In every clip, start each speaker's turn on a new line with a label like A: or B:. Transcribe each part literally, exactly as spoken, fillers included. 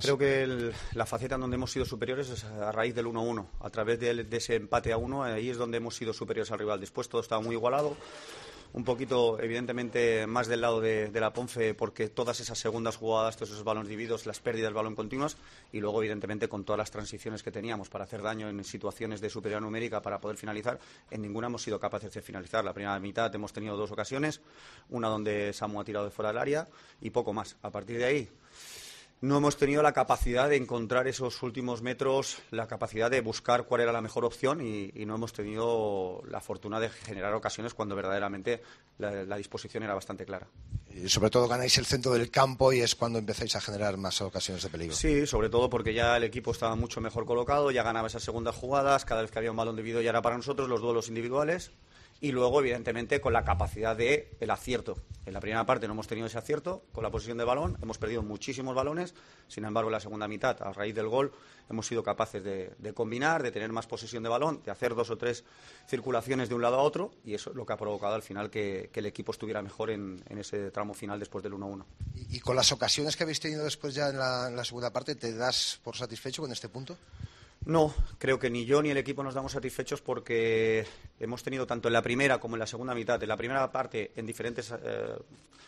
A: Creo que el, la faceta en donde hemos sido superiores es a raíz del uno uno. A través de, de ese empate a uno, ahí es donde hemos sido superiores al rival. Después todo estaba muy igualado. Un poquito, evidentemente, más del lado de, de la Ponfe, porque todas esas segundas jugadas, todos esos balones divididos, las pérdidas de balón continuas, y luego, evidentemente, con todas las transiciones que teníamos para hacer daño en situaciones de superioridad numérica para poder finalizar, en ninguna hemos sido capaces de finalizar. La primera mitad hemos tenido dos ocasiones, una donde Samu ha tirado de fuera del área y poco más. A partir de ahí, no hemos tenido la capacidad de encontrar esos últimos metros, la capacidad de buscar cuál era la mejor opción y, y no hemos tenido la fortuna de generar ocasiones cuando verdaderamente la, la disposición era bastante clara.
B: Y sobre todo ganáis el centro del campo y es cuando empezáis a generar más ocasiones de peligro.
A: Sí, sobre todo porque ya el equipo estaba mucho mejor colocado, ya ganaba esas segundas jugadas, cada vez que había un balón dividido ya era para nosotros, los duelos individuales. Y luego, evidentemente, con la capacidad del acierto. En la primera parte no hemos tenido ese acierto con la posesión de balón, hemos perdido muchísimos balones, sin embargo, en la segunda mitad, a raíz del gol, hemos sido capaces de, de combinar, de tener más posesión de balón, de hacer dos o tres circulaciones de un lado a otro, y eso es lo que ha provocado al final que, que el equipo estuviera mejor en, en ese tramo final después del uno uno.
B: ¿Y, y con las ocasiones que habéis tenido después ya en la, en la segunda parte, te das por satisfecho con este punto?
A: No, creo que ni yo ni el equipo nos damos satisfechos porque hemos tenido tanto en la primera como en la segunda mitad, en la primera parte en diferentes eh,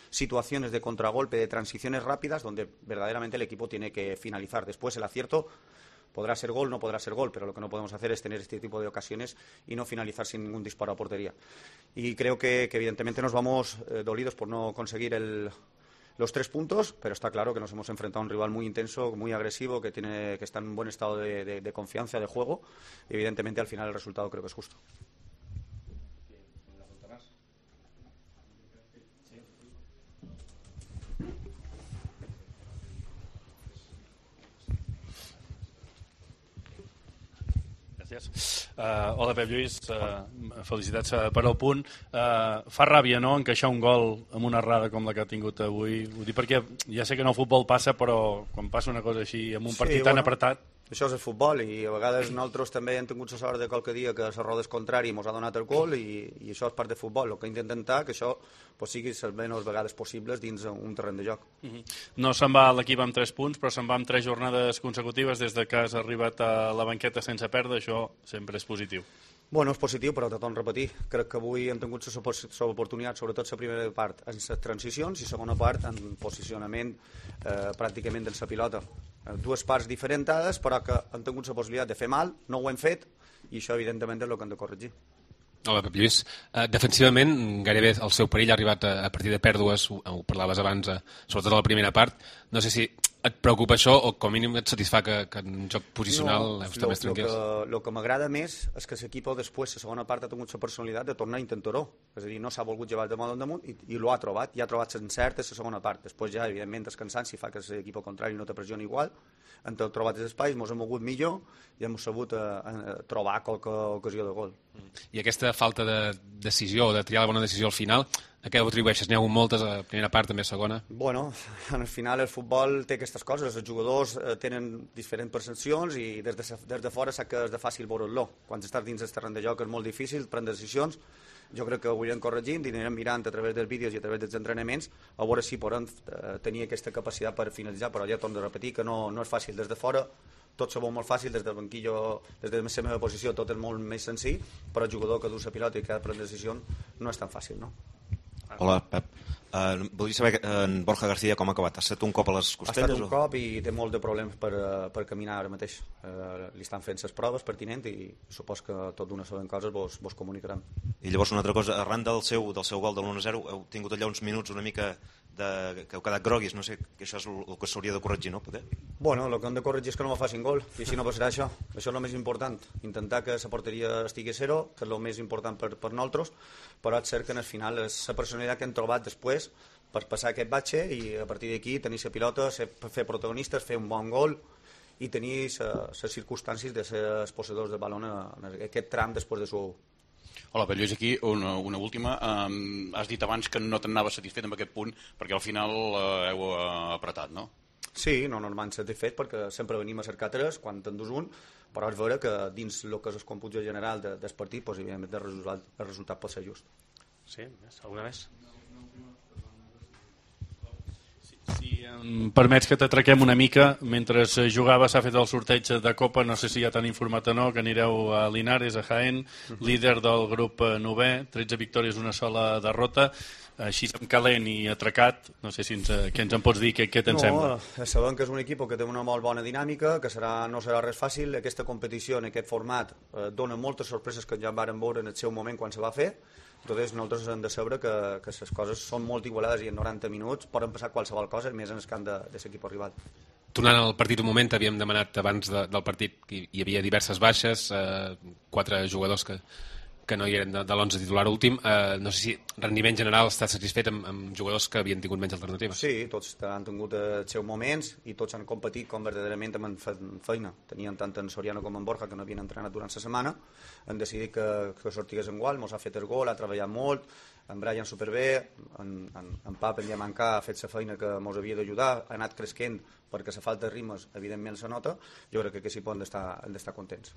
A: situaciones de contragolpe, de transiciones rápidas, donde verdaderamente el equipo tiene que finalizar. Después el acierto podrá ser gol, no podrá ser gol, pero lo que no podemos hacer es tener este tipo de ocasiones y no finalizar sin ningún disparo a portería. Y creo que, que evidentemente nos vamos eh, dolidos por no conseguir el... los tres puntos, pero está claro que nos hemos enfrentado a un rival muy intenso, muy agresivo, que tiene que está en un buen estado de, de, de confianza, de juego, y evidentemente al final el resultado creo que es justo.
C: Gràcies. Uh, hola, Pep Lluís. Uh, felicitats uh, per al punt. Uh, fa ràbia, no?, encaixar un gol amb una errada com la que ha tingut avui. Ho dic perquè ja sé que en el futbol passa, però quan passa una cosa així amb un partit sí, tan bueno, apretat...
A: Això és el futbol i a vegades nosaltres també hem tingut la sort de qualque dia que la roda és contrari i ens ha donat el gol i, i això és part del futbol. El que intentem intentar que això pues, sigui les menys vegades possibles dins un terreny de joc.
C: Uh -huh. No se'n va l'equip amb tres punts, però se'n va amb tres jornades consecutives des de que has arribat a la banqueta sense perdre. Això sempre és positiu.
A: Bueno, és positiu, però tot repetir. Crec que avui hem tingut l'oportunitat, sobretot la primera part, en les transicions i la segona part en posicionament eh, pràcticament de la pilota. Dues parts diferentades, però que han tingut la possibilitat de fer mal, no ho hem fet, i això evidentment és el que hem de corregir.
D: Hola, Pep Lluís. Uh, defensivament, gairebé el seu perill ha arribat a, a partir de pèrdues, ho, ho parlaves abans, uh, sobretot a la primera part. No sé si et preocupa això o com a mínim et satisfà que, que en joc posicional
A: no,
D: heu estat més tranquils?
A: El que, que m'agrada més és que l'equip després, la segona part, ha tingut la personalitat de tornar a intentar-ho. És a dir, no s'ha volgut llevar el damunt damunt i, i l'ho ha trobat, i ha trobat l'encert a la segona part. Després ja, evidentment, el cansanci fa que l'equip contrari no te pressioni igual. Han trobat els espais, ens hem mogut millor i hem sabut a, a trobar qualque ocasió de gol.
D: I aquesta falta de decisió, de triar la bona decisió al final, a què ho atribueixes? N'hi ha hagut moltes, a primera part, també a segona?
A: Bueno, al final el futbol té aquestes coses, els jugadors eh, tenen diferents percepcions i des de, des de fora sap que és de fàcil veure-lo. Quan estàs dins del terreny de joc és molt difícil prendre decisions. Jo crec que ho anirem corregint i anirem mirant a través dels vídeos i a través dels entrenaments a veure si podem eh, tenir aquesta capacitat per finalitzar, però ja torno a repetir que no, no és fàcil des de fora. Tot se veu molt fàcil, des del banquillo, des de la meva posició tot és molt més senzill, però el jugador que du la pilota i que ha de prendre decisions no és tan fàcil, no?
E: Hola, Pep. Uh, voldria saber uh, en Borja García com ha acabat. Ha estat un cop a les costelles?
A: Ha estat un
E: o?
A: cop i té molt de problemes per, uh, per caminar ara mateix. Uh, li estan fent les proves pertinents i supos que tot d'una sola coses vos, vos comunicaran.
E: I llavors una altra cosa, arran del seu, del seu gol de l'u a zero heu tingut allà uns minuts una mica de, que heu quedat groguis, no sé, que això és el, el que s'hauria de corregir, no? Poder?
A: Bueno, el que hem de corregir és que no me facin gol i així no passarà això. Això és el més important, intentar que la porteria estigui a zero, que és el més important per, per nosaltres, però és cert que al final és la personalitat que hem trobat després per passar aquest batxe i a partir d'aquí tenir la pilota, ser, fer protagonistes, fer un bon gol i tenir les circumstàncies de ser els possedors de balón en aquest tram després de su.
F: Hola, Pep Lluís, aquí una, una última. Um, has dit abans que no t'anaves satisfet amb aquest punt perquè al final uh, heu uh, apretat, no?
A: Sí, no, no m'han satisfet perquè sempre venim a cercar tres quan t'endús un, però és vera que dins el que és el còmput general de, del partit, doncs, evidentment el resultat, el resultat pot ser just.
G: Sí, alguna més?
C: Si em permets que t'atraquem una mica, mentre jugava s'ha fet el sorteig de Copa, no sé si ja t'han informat o no, que anireu a Linares, a Jaén, líder del grup novè, tretze victòries, una sola derrota, així amb calent i atracat, no sé si ens, què ens en pots dir, què, què te'n
A: no,
C: sembla?
A: Sabem que és un equip que té una molt bona dinàmica, que serà, no serà res fàcil. Aquesta competició en aquest format eh, dona moltes sorpreses que ja varen veure en el seu moment quan se va fer. Entonces, nosaltres hem de saber que, que les coses són molt igualades i en noranta minuts poden passar qualsevol cosa, més en el camp de, de l'equip rival.
D: Tornant al partit un moment, havíem demanat abans de, del partit que hi havia diverses baixes, eh, quatre jugadors que, que no hi eren de, de l'onze titular últim. Eh, no sé si rendiment general està satisfet amb, amb jugadors que havien tingut menys alternatives.
A: Sí, tots han tingut els seus moments i tots han competit com verdaderament amb feina. Tenien tant en Soriano com en Borja que no havien entrenat durant la setmana, han decidit que, que sortigués en igual, mos ha fet el gol, ha treballat molt, en Brian superbé, en, en, en Pap en Diamancà ha fet la feina que mos havia d'ajudar, ha anat cresquent perquè la falta de ritmes evidentment se nota. Jo crec que, que sí poden estar, estar contents.